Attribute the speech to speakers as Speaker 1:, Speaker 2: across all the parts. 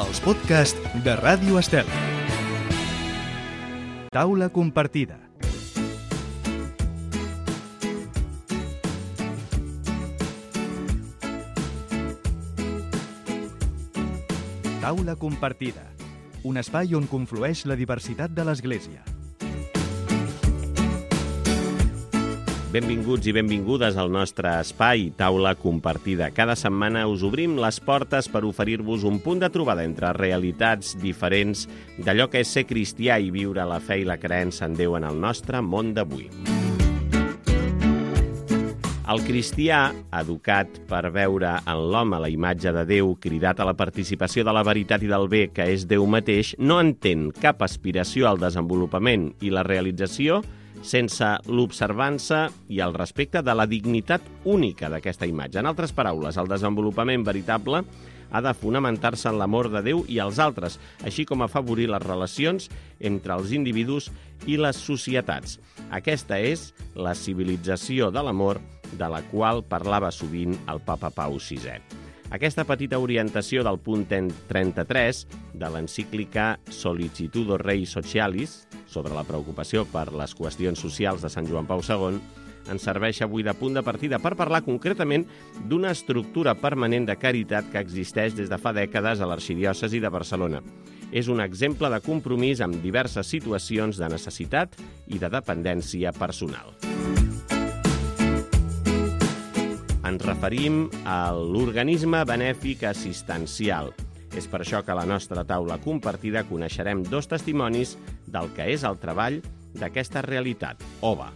Speaker 1: Els podcasts de Ràdio Estel. Taula compartida. Taula compartida. Un espai on conflueix la diversitat de l'Església.
Speaker 2: Benvinguts i benvingudes al nostre espai Taula Compartida. Cada setmana us obrim les portes per oferir-vos un punt de trobada entre realitats diferents d'allò que és ser cristià i viure la fe i la creença en Déu en el nostre món d'avui. El cristià, educat per veure en l'home la imatge de Déu, cridat a la participació de la veritat i del bé que és Déu mateix, no entén cap aspiració al desenvolupament i la realització sense l'observança i el respecte de la dignitat única d'aquesta imatge. En altres paraules, el desenvolupament veritable ha de fonamentar-se en l'amor de Déu i els altres, així com afavorir les relacions entre els individus i les societats. Aquesta és la civilització de l'amor de la qual parlava sovint el papa Pau VI. Aquesta petita orientació del punt 33 de l'encíclica Solicitudo Rei Socialis, sobre la preocupació per les qüestions socials de Sant Joan Pau II, ens serveix avui de punt de partida per parlar concretament d'una estructura permanent de caritat que existeix des de fa dècades a l'arxidiòcesi de Barcelona. És un exemple de compromís amb diverses situacions de necessitat i de dependència personal. Ens referim a l'organisme benèfic assistencial. És per això que a la nostra taula compartida coneixerem dos testimonis del que és el treball d'aquesta realitat, OVA.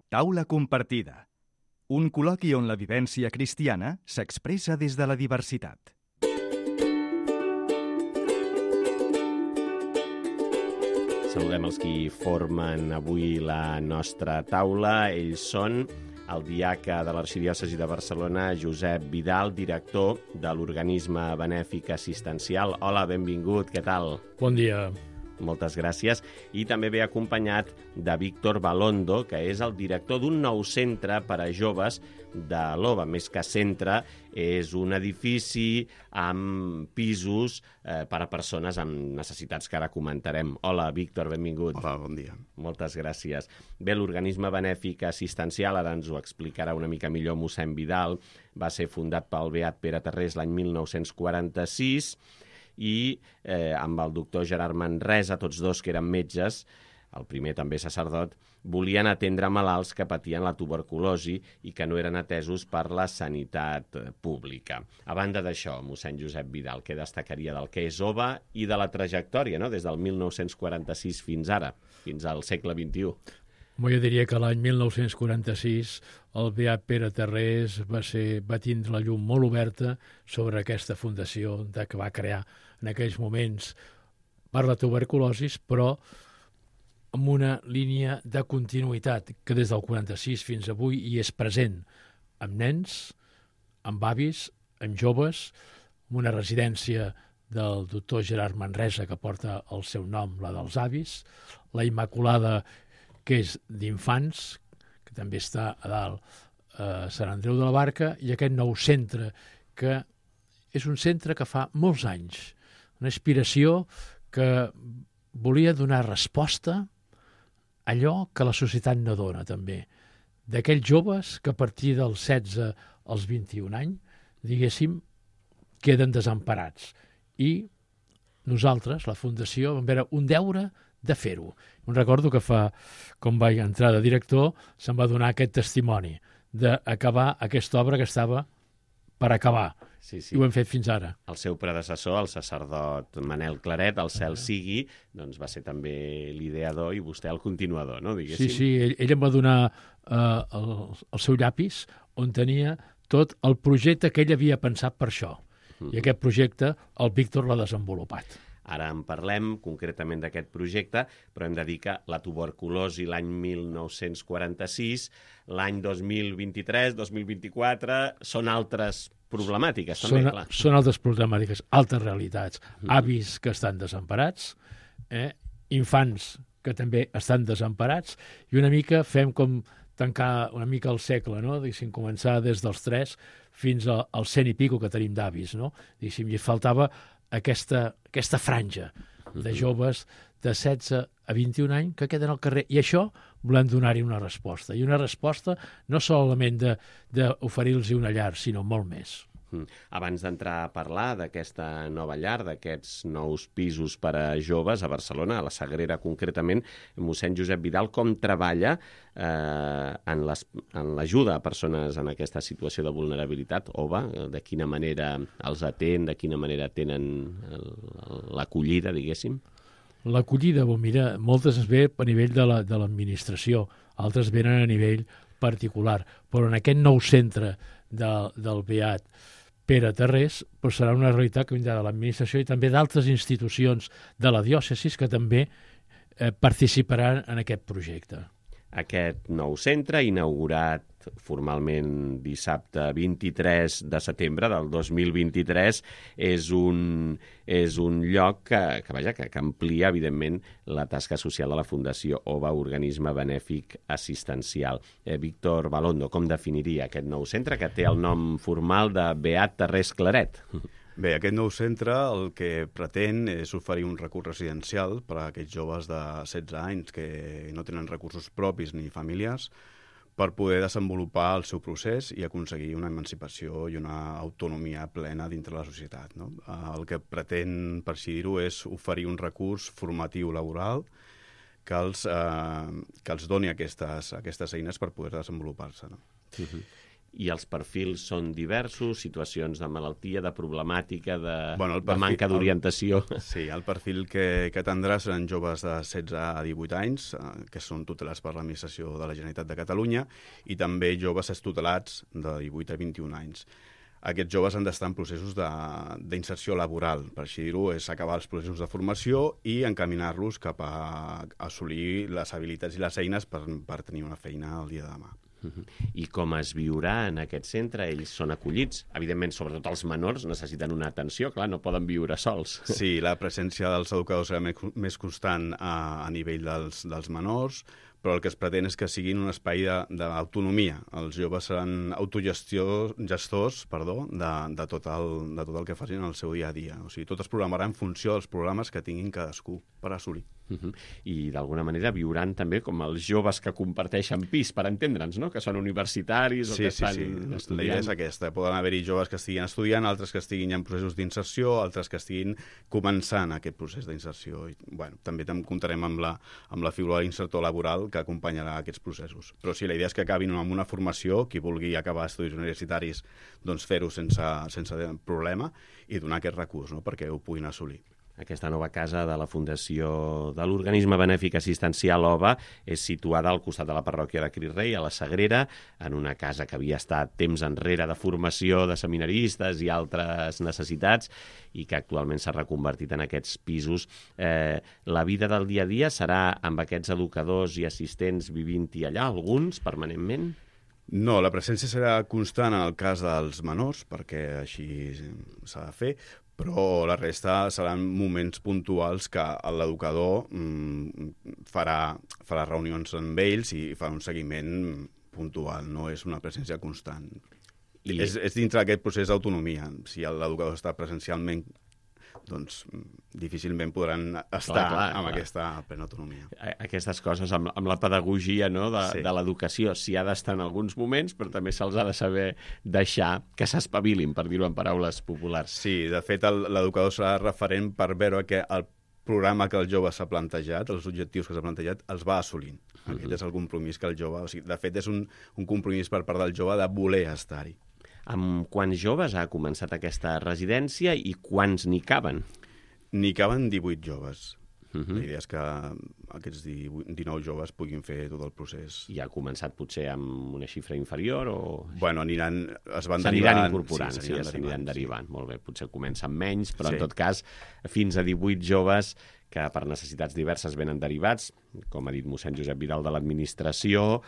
Speaker 1: Taula compartida. Un col·loqui on la vivència cristiana s'expressa des de la diversitat.
Speaker 2: Saludem els qui formen avui la nostra taula. Ells són el diaca de l'Arxidiòcesi de Barcelona, Josep Vidal, director de l'organisme benèfic assistencial. Hola, benvingut, què tal?
Speaker 3: Bon dia.
Speaker 2: Moltes gràcies. I també ve acompanyat de Víctor Balondo, que és el director d'un nou centre per a joves de l'OVA. Més que centre, és un edifici amb pisos per a persones amb necessitats que ara comentarem. Hola, Víctor, benvingut.
Speaker 4: Hola, bon dia.
Speaker 2: Moltes gràcies. Bé, l'organisme benèfic assistencial, ara ens ho explicarà una mica millor mossèn Vidal, va ser fundat pel beat Pere Tarrés l'any 1946 i amb el doctor Gerard Manresa, tots dos que eren metges, el primer també sacerdot, volien atendre malalts que patien la tuberculosi i que no eren atesos per la sanitat pública. A banda d'això, mossèn Josep Vidal, què destacaria del que és OVA i de la trajectòria, no? Des del 1946 fins ara, fins al segle XXI?
Speaker 3: Jo diria que l'any 1946 el beat Pere Tarrés va tindre la llum molt oberta sobre aquesta fundació que va crear en aquells moments per la tuberculosi, però amb una línia de continuïtat que des del 46 fins avui hi és present amb nens, amb avis, amb joves, amb una residència del doctor Gerard Manresa que porta el seu nom, la dels avis, la Immaculada, que és d'infants, que també està a dalt a Sant Andreu de la Barca, i aquest nou centre, que és un centre que fa molts anys, una aspiració que volia donar resposta a allò que la societat no dona, també. D'aquells joves que a partir dels 16 als 21 anys, diguéssim, queden desemparats. I nosaltres, la Fundació, vam veure un deure de fer-ho. Em recordo que com vaig entrar de director, se'm va donar aquest testimoni d'acabar aquesta obra que estava per acabar.
Speaker 2: Sí.
Speaker 3: I ho hem fet fins ara.
Speaker 2: El seu predecessor, el sacerdot Manel Claret, el cel sigui, doncs va ser també l'ideador i vostè el continuador, no? Diguéssim.
Speaker 3: Sí, ell em va donar el seu llapis on tenia tot el projecte que ell havia pensat per això. I aquest projecte el Víctor l'ha desenvolupat.
Speaker 2: Ara en parlem concretament d'aquest projecte, però hem de dir que la tuberculosi l'any 1946, l'any 2023, 2024, són altres problemàtiques, també, clar.
Speaker 3: Són altres problemàtiques, altres realitats. Avis que estan desemparats, infants que també estan desemparats, i una mica fem com tancar una mica el segle, no? Diguéssim, començar des dels 3 fins al 100 i pico que tenim d'avis, no? Diguéssim, i faltava aquesta franja de joves de 16 a 21 anys que queden al carrer. I això volem donar-hi una resposta. I una resposta no solament d'oferir-los una llar, sinó molt més.
Speaker 2: Abans d'entrar a parlar d'aquesta nova llar, d'aquests nous pisos per a joves a Barcelona, a la Sagrera concretament, mossèn Josep Vidal, com treballa en l'ajuda a persones en aquesta situació de vulnerabilitat, OVA, de quina manera els atén, de quina manera tenen l'acollida, diguéssim?
Speaker 3: L'acollida, mira, moltes es ve a nivell de l'administració, altres venen a nivell particular, però en aquest nou centre del Beat Pere Tarrés serà una realitat que vindrà de l'administració i també d'altres institucions de la diòcesis que també participaran en aquest projecte.
Speaker 2: Aquest nou centre, inaugurat formalment dissabte 23 de setembre del 2023, és un lloc que amplia, evidentment, la tasca social de la Fundació OVA, organisme benèfic assistencial. Víctor Balondo, com definiria aquest nou centre que té el nom formal de Beat Tarrés Claret?
Speaker 4: Bé, aquest nou centre el que pretén és oferir un recurs residencial per a aquests joves de 16 anys que no tenen recursos propis ni familiars per poder desenvolupar el seu procés i aconseguir una emancipació i una autonomia plena dintre la societat, no? El que pretén, per així dir-ho, és oferir un recurs formatiu laboral que els doni aquestes eines per poder desenvolupar-se, no?
Speaker 2: I els perfils són diversos, situacions de malaltia, de problemàtica, de manca d'orientació.
Speaker 4: Sí, el perfil que atendrà seran joves de 16 a 18 anys, que són tutelats per l'Administració de la Generalitat de Catalunya, i també joves extutelats de 18 a 21 anys. Aquests joves han d'estar en processos d'inserció laboral, per així dir-ho, és acabar els processos de formació i encaminar-los cap a assolir les habilitats i les eines per tenir una feina el dia de demà.
Speaker 2: I com es viurà en aquest centre? Ells són acollits. Evidentment, sobretot els menors necessiten una atenció, clar, no poden viure sols.
Speaker 4: Sí, la presència dels educadors serà més constant a nivell dels menors, però el que es pretén és que siguin un espai d'autonomia. Els joves seran autogestors de tot el que facin en el seu dia a dia. O sigui, tot es programarà en funció dels programes que tinguin cadascú per assolir.
Speaker 2: I d'alguna manera viuran també com els joves que comparteixen pis, per entendre'ns, no? Que són universitaris o que estan estudiant.
Speaker 4: La idea és aquesta. Poden haver-hi joves que estiguin estudiant, altres que estiguin en processos d'inserció, altres que estiguin començant aquest procés d'inserció. També comptarem amb la figura de l'insertor laboral que acompanyarà aquests processos. Però sí, la idea és que acabin amb una formació, qui vulgui acabar estudis universitaris, doncs fer-ho sense problema i donar aquest recurs, no? Perquè ho puguin assolir.
Speaker 2: Aquesta nova casa de la Fundació de l'Organisme Benèfic Assistencial OVA és situada al costat de la parròquia de Crit Rei, a la Sagrera, en una casa que havia estat temps enrere de formació de seminaristes i altres necessitats i que actualment s'ha reconvertit en aquests pisos. La vida del dia a dia serà amb aquests educadors i assistents vivint-hi allà, alguns, permanentment?
Speaker 4: No, la presència serà constant en el cas dels menors, perquè així s'ha de fer, però la resta seran moments puntuals que l'educador farà reunions amb ells i farà un seguiment puntual, no és una presència constant. És dintre d'aquest procés d'autonomia. Si l'educador està presencialment, doncs difícilment podran estar amb aquesta plena autonomia.
Speaker 2: Aquestes coses amb la pedagogia, no, de l'educació, s'hi ha d'estar en alguns moments, però també se'ls ha de saber deixar que s'espavilin, per dir-ho en paraules populars.
Speaker 4: Sí, de fet, l'educador serà referent per veure que el programa que el jove s'ha plantejat, els objectius que s'ha plantejat, els va assolint. Aquest és el compromís que el jove... O sigui, de fet, és un compromís per part del jove de voler estar-hi.
Speaker 2: Amb quants joves ha començat aquesta residència i quants n'hi caben?
Speaker 4: N'hi caben 18 joves. La idea és que aquests 19 joves puguin fer tot el procés.
Speaker 2: I ha començat potser amb una xifra inferior o...?
Speaker 4: Bueno,
Speaker 2: s'aniran incorporant, s'aniran derivant. Molt bé, potser comença amb menys, però en tot cas, fins a 18 joves que per necessitats diverses venen derivats, com ha dit mossèn Josep Vidal de l'administració,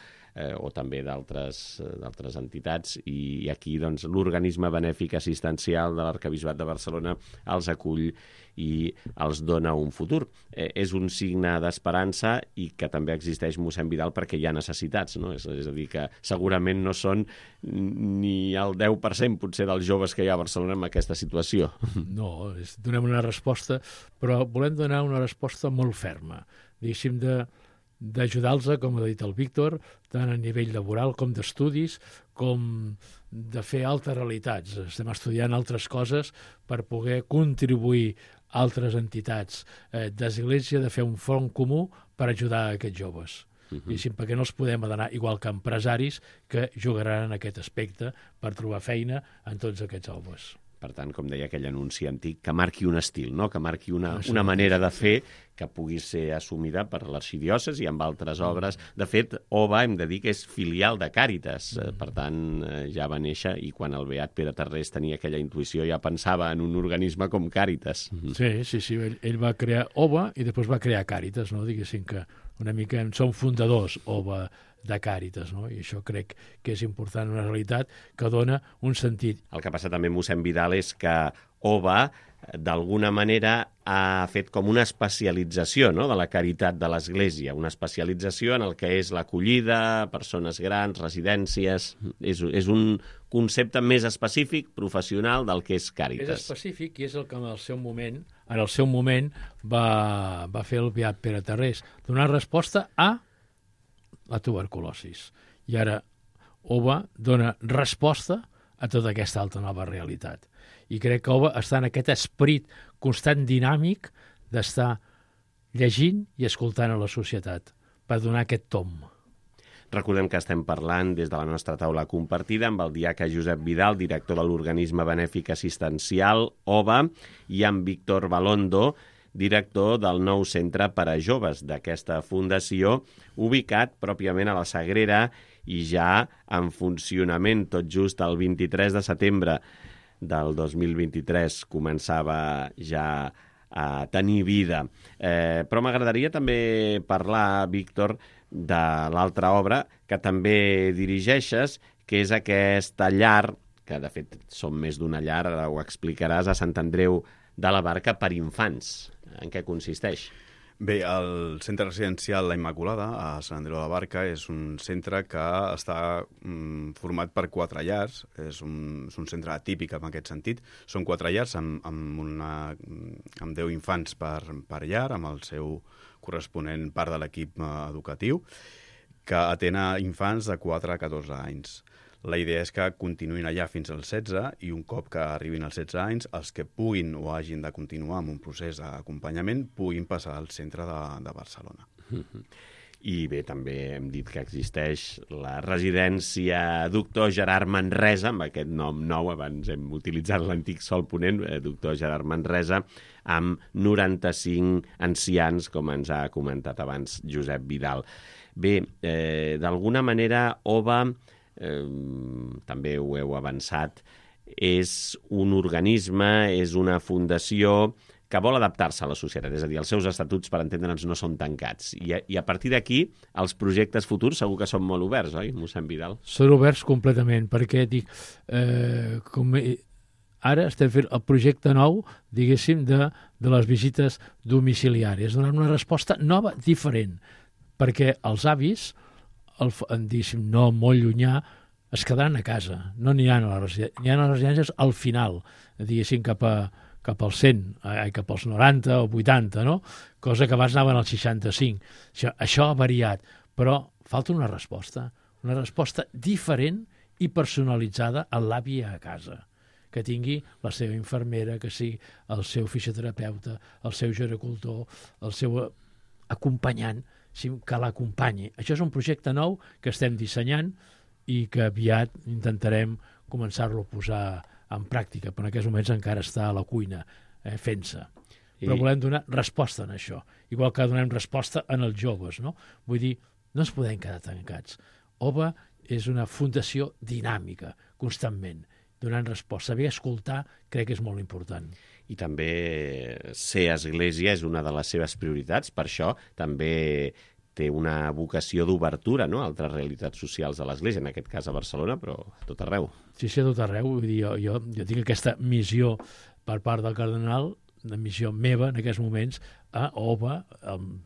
Speaker 2: o també d'altres entitats, i aquí doncs, l'organisme benèfic assistencial de l'Arquebisbat de Barcelona els acull i els dona un futur. És un signe d'esperança i que també existeix mossèn Vidal perquè hi ha necessitats, no? És a dir, que segurament no són ni el 10% potser dels joves que hi ha a Barcelona en aquesta situació.
Speaker 3: No, donem una resposta, però volem donar una resposta molt ferma, diguéssim, d'ajudar-los, com ha dit el Víctor, tant a nivell laboral com d'estudis, com de fer altres realitats. Estem estudiant altres coses per poder contribuir a altres entitats d'església, de fer un front comú per ajudar a aquests joves. Diguéssim, perquè no els podem adonar, igual que empresaris que jugaran en aquest aspecte per trobar feina en tots aquests joves.
Speaker 2: Per tant, com deia aquell anunci antic, que marqui un estil, no? Que marqui una manera de fer que pugui ser assumida per l'arxidiòcesi i amb altres obres. De fet, OVA, hem de dir que és filial de Càritas, per tant, ja va néixer, i quan el beat Pere Tarrés tenia aquella intuïció ja pensava en un organisme com Càritas.
Speaker 3: Sí, ell va crear OVA i després va crear Càritas, no? Diguéssim que una mica som fundadors, OVA, de Càritas, no? I això crec que és important, una realitat que dona un sentit.
Speaker 2: El que passa també, mossèn Vidal, és que OVA, d'alguna manera, ha fet com una especialització, no?, de la caritat de l'Església, una especialització en el que és l'acollida, persones grans, residències. És un concepte més específic, professional, del que és Càritas.
Speaker 3: És específic i és el que en el seu moment va fer el beat Pere Tarrés, donar resposta a la tuberculosis. I ara OVA dona resposta a tota aquesta altra nova realitat. I crec que OVA està en aquest esperit constant dinàmic d'estar llegint i escoltant a la societat per donar aquest tomb.
Speaker 2: Recordem que estem parlant des de la nostra taula compartida amb el diaca Josep Vidal, director de l'organisme benèfic assistencial OVA, i amb Víctor Balondo, director del nou centre per a joves d'aquesta fundació, ubicat pròpiament a la Sagrera i ja en funcionament. Tot just el 23 de setembre del 2023 començava ja a tenir vida. Però m'agradaria també parlar, Víctor, de l'altra obra que també dirigeixes, que és aquesta llar, que de fet són més d'una llar, ara ho explicaràs, a Sant Andreu de la Barca per infants. En què consisteix?
Speaker 4: Bé, el centre residencial La Immaculada, a Sant Andreu de la Barca, és un centre que està format per 4 llars. És un centre atípic en aquest sentit. Són 4 llars amb 10 infants per llar, amb el seu corresponent part de l'equip educatiu, que atén a infants de 4 a 14 anys. La idea és que continuïn allà fins als 16 i un cop que arribin als 16 anys, els que puguin o hagin de continuar amb un procés d'acompanyament puguin passar al centre de Barcelona.
Speaker 2: I bé, també hem dit que existeix la residència Doctor Gerard Manresa, amb aquest nom nou, abans hem utilitzat l'antic Sol Ponent, Doctor Gerard Manresa, amb 95 ancians, com ens ha comentat abans Josep Vidal. Bé, d'alguna manera, OVA, també ho heu avançat, és un organisme, és una fundació que vol adaptar-se a la societat, és a dir, els seus estatuts, per entendre'ns, no són tancats. I a partir d'aquí, els projectes futurs segur que són molt oberts, oi, mossèn Vidal?
Speaker 3: Són oberts completament, perquè dic, ara estem fent el projecte nou, diguéssim, de les visites domiciliàries, donant una resposta nova, diferent, perquè els avis, diguéssim, no molt llunyà, es quedaran a casa, no aniran a les residències al final, diguéssim, cap als 100, cap als 90 o 80, no? Cosa que abans anaven als 65. Això ha variat, però falta una resposta diferent i personalitzada a l'avi a casa, que tingui la seva infermera, que sigui el seu fisioterapeuta, el seu gericultor, el seu acompanyant, que l'acompanyi. Això és un projecte nou que estem dissenyant i que aviat intentarem començar-lo a posar en pràctica, però en aquests moments encara està a la cuina fent-se. Però volem donar resposta en això, igual que donem resposta en els joves, no? Vull dir, no ens podem quedar tancats. OVA és una fundació dinàmica, constantment, donant resposta. Saber escoltar crec que és molt important.
Speaker 2: I també ser església és una de les seves prioritats, per això també té una vocació d'obertura, no?, a altres realitats socials de l'Església, en aquest cas a Barcelona, però a tot arreu.
Speaker 3: Sí, a tot arreu. Vull dir, jo tinc aquesta missió per part del cardenal, una missió meva en aquests moments, a OVA,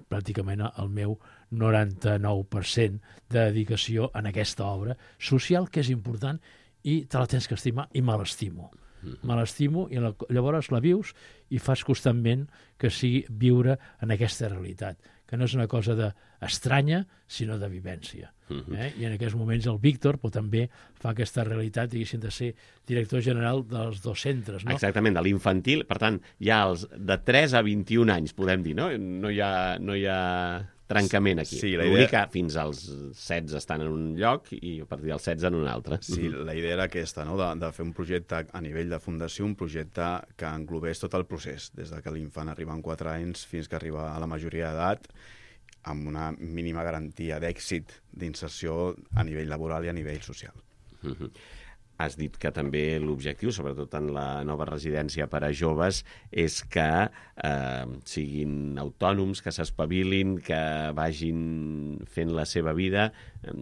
Speaker 3: pràcticament el meu 99% de dedicació en aquesta obra social, que és important, i te la tens que estimar, i me l'estimo. Me l'estimo i llavors la vius i fas constantment que sigui viure en aquesta realitat, que no és una cosa estranya, sinó de vivència. I en aquests moments el Víctor també fa aquesta realitat, diguéssim, de ser director general dels dos centres. No?
Speaker 2: Exactament, de l'infantil. Per tant, hi ha els de 3 a 21 anys, podem dir, no? No hi ha trencament aquí.
Speaker 4: Sí,
Speaker 2: L'únic que fins als 16 estan en un lloc i a partir dels 16 en un altre.
Speaker 4: Sí, la idea era aquesta, no?, de fer un projecte a nivell de fundació, un projecte que englobés tot el procés, des de que l'infant arriba amb 4 anys fins que arriba a la majoria d'edat, amb una mínima garantia d'èxit d'inserció a nivell laboral i a nivell social.
Speaker 2: Has dit que també l'objectiu, sobretot en la nova residència per a joves, és que siguin autònoms, que s'espavilin, que vagin fent la seva vida.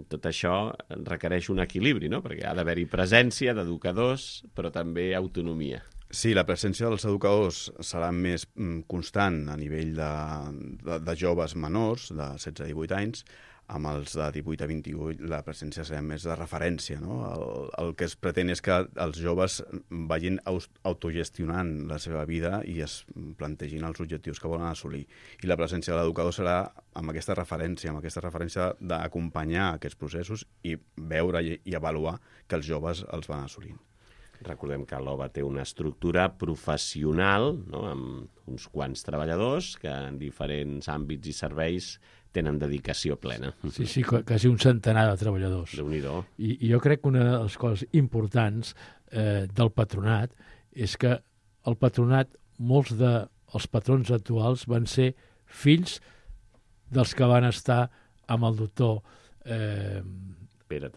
Speaker 2: Tot això requereix un equilibri, no?, perquè ha d'haver-hi presència d'educadors, però també autonomia.
Speaker 4: Sí, la presència dels educadors serà més constant a nivell de joves menors, de 16 a 18 anys, amb els de 18 a 28 la presència serà més de referència, no? El que es pretén és que els joves vagin autogestionant la seva vida i es plantegin els objectius que volen assolir. I la presència de l'educador serà amb aquesta referència d'acompanyar aquests processos i veure i avaluar que els joves els van assolint.
Speaker 2: Recordem que l'OVA té una estructura professional, no?, amb uns quants treballadors que en diferents àmbits i serveis tenen dedicació plena.
Speaker 3: Sí, quasi un centenar de treballadors.
Speaker 2: Déu-n'hi-do.
Speaker 3: I jo crec que una de les coses importants del patronat és que el patronat, molts dels patrons actuals van ser fills dels que van estar amb el doctor
Speaker 2: Pere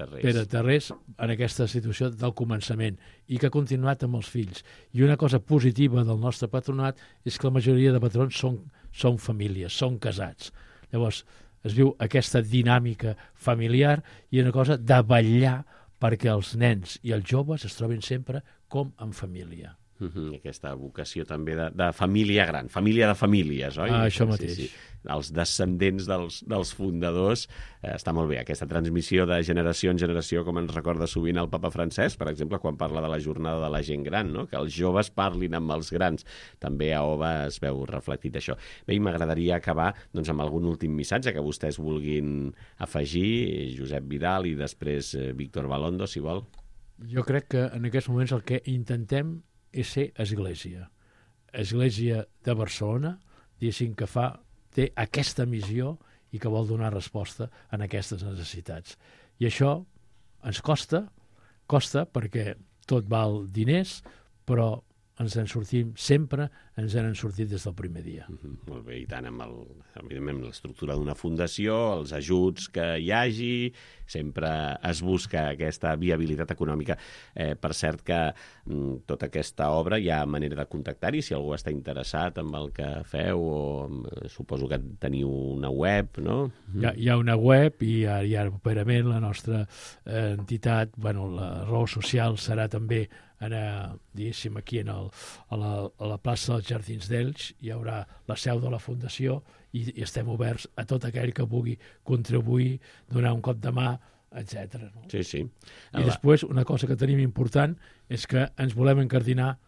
Speaker 3: Tarrés en aquesta situació del començament i que ha continuat amb els fills. I una cosa positiva del nostre patronat és que la majoria de patrons són famílies, són casats. Llavors es viu aquesta dinàmica familiar i una cosa de vetllar perquè els nens i els joves es trobin sempre com en família.
Speaker 2: Aquesta vocació també de família gran, família de famílies, oi?
Speaker 3: Això mateix.
Speaker 2: Sí. Els descendents dels fundadors. Està molt bé, aquesta transmissió de generació en generació, com ens recorda sovint el papa Francesc, per exemple, quan parla de la jornada de la gent gran, no?, que els joves parlin amb els grans. També a OVA es veu reflectit això. Bé, i m'agradaria acabar amb algun últim missatge que vostès vulguin afegir, Josep Vidal i després Víctor Balondo, si vol.
Speaker 3: Jo crec que en aquests moments el que intentem és ser església. Església de Barcelona, diguéssim, que té aquesta missió i que vol donar resposta a aquestes necessitats. I això ens costa perquè tot val diners, però ens en sortim sempre, ens en sortit des del primer dia.
Speaker 2: Molt bé, i tant, evidentment, l'estructura d'una fundació, els ajuts que hi hagi, sempre es busca aquesta viabilitat econòmica. Per cert que tota aquesta obra hi ha manera de contactar-hi, si algú està interessat en el que feu, o suposo que teniu una web, no?
Speaker 3: Hi ha una web i ara properament la nostra entitat, la raó social serà també diguéssim, aquí a la plaça dels Jardins d'Elx hi haurà la seu de la Fundació i estem oberts a tot aquell que pugui contribuir, donar un cop de mà, etc. No?
Speaker 2: Sí.
Speaker 3: I després, una cosa que tenim important és que ens volem encardinar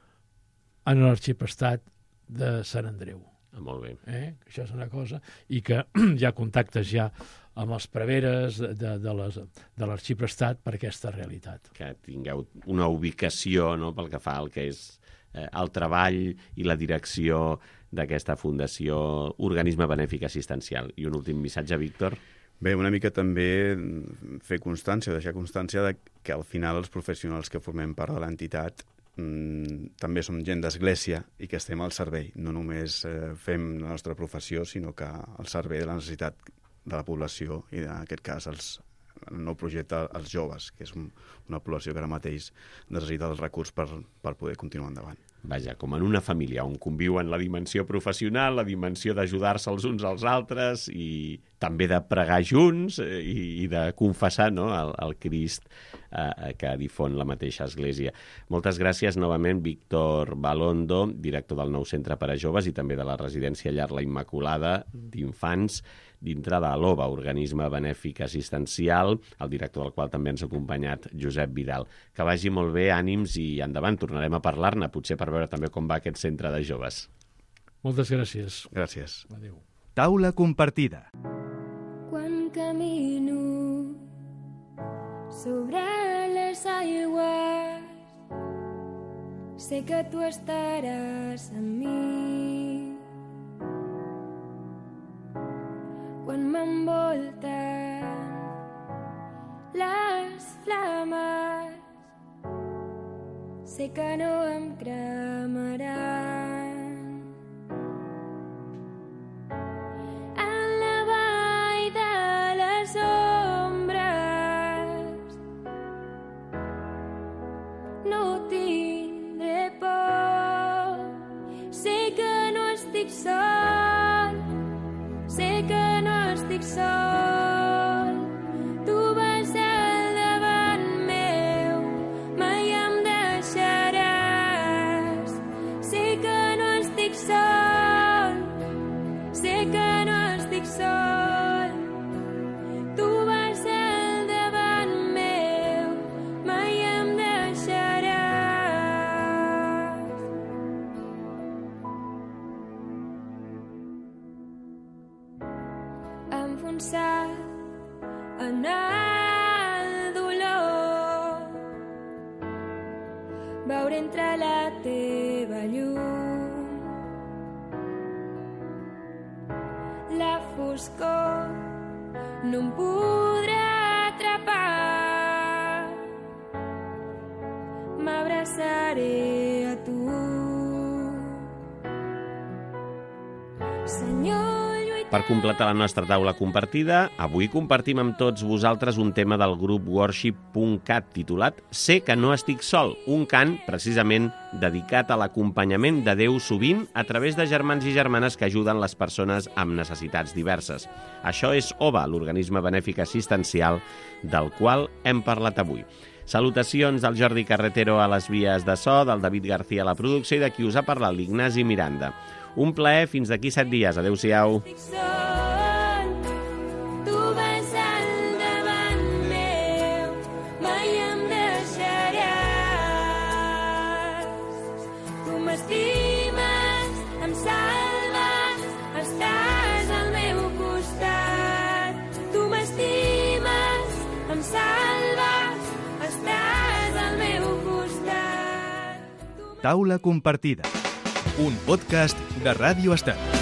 Speaker 3: en l'arxiprestat de Sant Andreu.
Speaker 2: Molt bé.
Speaker 3: Això és una cosa, i que hi ha contactes ja amb els preveres de l'arxiprestat per aquesta realitat.
Speaker 2: Que tingueu una ubicació, no?, pel que fa al que és el treball i la direcció d'aquesta fundació, organisme benèfic assistencial. I un últim missatge, Víctor?
Speaker 4: Bé, una mica també fer constància, deixar constància de que al final els professionals que formem part de l'entitat també som gent d'església i que estem al servei. No només fem la nostra professió, sinó que al servei de la necessitat de la població i en aquest cas el nou projecte als joves, que és una població que ara mateix necessita els recursos per poder continuar endavant.
Speaker 2: vaja, com en una família, on conviuen la dimensió professional, la dimensió d'ajudar-se els uns als altres i també de pregar junts i de confessar, no?, el Crist que difon la mateixa Església. Moltes gràcies novament, Víctor Balondo, director del nou Centre per a Joves i també de la residència Llar La Immaculada d'infants, dintre de l'OVA, organisme benèfic assistencial, el director del qual també ens ha acompanyat, Josep Vidal. Que vagi molt bé, ànims i endavant. Tornarem a parlar-ne, potser per veure també com va aquest centre de joves.
Speaker 3: Moltes gràcies.
Speaker 4: Gràcies.
Speaker 3: Adéu.
Speaker 1: Taula compartida.
Speaker 5: Quan camino sobre les aigües, sé que tu estaràs amb mi. Quan m'envolten les flames, sé que no em cremaran. En la vall de les ombres no tindré por, sé que no estic sol, sé que no estic sol, tu vas al davant meu, mai em deixaràs. Sé que no estic sol, sé que no estic sol, tu vas al davant meu, mai em deixaràs. Enfonsat en el dolor, veure entre la teva llum la foscor no em podrà atrapar, m'abraçaré a tu, Senyor.
Speaker 2: Per completar la nostra taula compartida, avui compartim amb tots vosaltres un tema del grup Worship.cat titulat Sé que no estic sol, un cant precisament dedicat a l'acompanyament de Déu sovint a través de germans i germanes que ajuden les persones amb necessitats diverses. Això és OVA, l'organisme benèfic assistencial del qual hem parlat avui. Salutacions del Jordi Carretero a les vies de so, del David García a la producció i de qui us ha parlat, l'Ignasi Miranda. Un plaer, fins d'aquí 7 dies. Adéu-siau.
Speaker 5: Tu vas al davant meu, mai em deixaràs. Tu m'estimes, em salves, estàs al meu costat. Tu m'estimes, em salves, estàs al meu costat.
Speaker 1: Taula compartida. Un podcast de Ràdio Estat.